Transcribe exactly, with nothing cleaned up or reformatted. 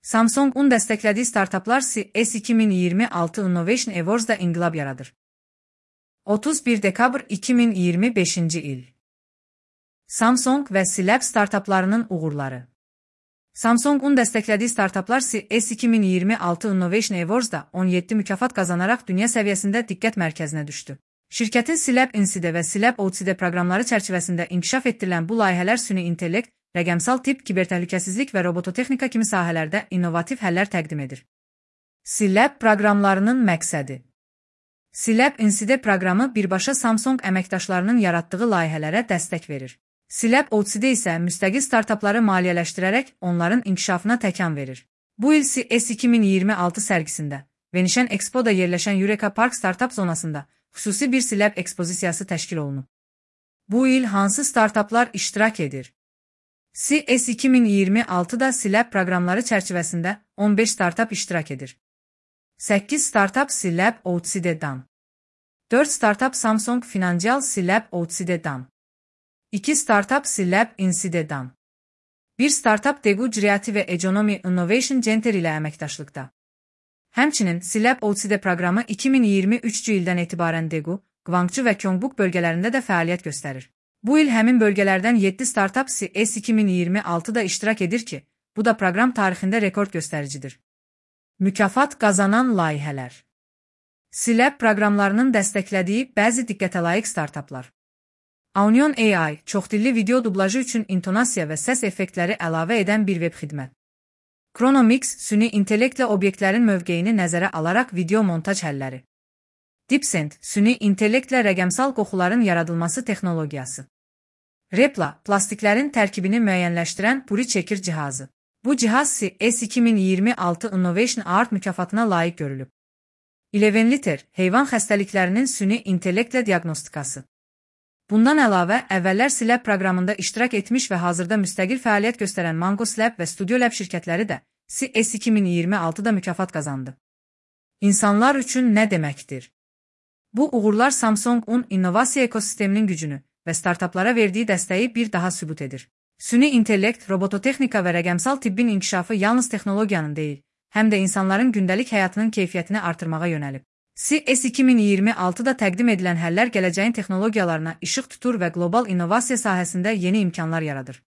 Samsung-un dəstəklədiyi startaplar C E S iki min iyirmi altı Innovation Awards-da inqilab yaradır. otuz bir dekabr iki min iyirmi beşinci il. Samsung və Silab startaplarının uğurları. Samsung-un dəstəklədiyi startaplar C E S iki min iyirmi altı Innovation Awards-da on yeddi mükafat qazanaraq dünya səviyyəsində diqqət mərkəzinə düşdü. Şirkətin Silab Inside və Silab O C D proqramları çərçivəsində inkişaf etdirilən bu layihələr süni intellekt, rəqəmsal tip, kibertəhlükəsizlik və robototexnika kimi sahələrdə innovativ həllər təqdim edir. Silab proqramlarının məqsədi. Silab Inside proqramı birbaşa Samsung əməkdaşlarının yaratdığı layihələrə dəstək verir. Silab O C D isə müstəqil startapları maliyyələşdirərək onların inkişafına təkan verir. Bu il C E S iki min iyirmi altı sərgisində, Venişən Expo'da yerləşən Eureka Park Startup zonasında xüsusi bir Silab ekspozisiyası təşkil olunub. Bu il hansı startaplar iştirak edir? C E S iki min iyirmi altıda Silab proqramları çərçivəsində on beş startap iştirak edir. səkkiz startap Silab O C D-dan. dörd startap Samsung Financial Silab O C D-dan. iki startap Silab Inside-dan. bir startap Daegu Creative Economy Innovation Center ilə əməkdaşlıqda. Həmçinin Silab O C D proqramı iki min iyirmi üçüncü ildən etibarən Daegu, Gwangju və Gyeongbuk bölgələrində də fəaliyyət göstərir. Bu il həmin bölgələrdən yeddi startap C E S iki min iyirmi altıda iştirak edir ki, bu da proqram tarixində rekord göstəricidir. Mükafat qazanan layihələr. Silab proqramlarının dəstəklədiyi bəzi diqqətə layiq startaplar. Aunion A I, çoxdilli video dublajı üçün intonasiya və səs effektləri əlavə edən bir web xidmət. Chronomix, süni intellektlə obyektlərin mövqeyini nəzərə alaraq video montaj həlləri. DeepSend, süni intellektlə rəqəmsal qoxuların yaradılması texnologiyası. Repla, plastiklərin tərkibini müəyyənləşdirən puri çəkir cihazı. Bu cihaz C E S iki min iyirmi altı Innovation Award mükafatına layiq görülüb. eleven liter, heyvan xəstəliklərinin süni intellektlə diaqnostikası. Bundan əlavə, əvvəllər Silab proqramında iştirak etmiş və hazırda müstəqil fəaliyyət göstərən Mangos Lab və Studio Lab şirkətləri də C E S iki min iyirmi altıda mükafat qazandı. İnsanlar üçün nə deməkdir? Bu uğurlar Samsung-un innovasiya ekosisteminin gücünü və startaplara verdiyi dəstəyi bir daha sübut edir. Süni intellekt, robototexnika və rəqəmsal tibbin inkişafı yalnız texnologiyanın deyil, həm də insanların gündəlik həyatının keyfiyyətini artırmağa yönəlib. C E S iki min iyirmi altıda təqdim edilən həllər gələcəyin texnologiyalarına işıq tutur və qlobal innovasiya sahəsində yeni imkanlar yaradır.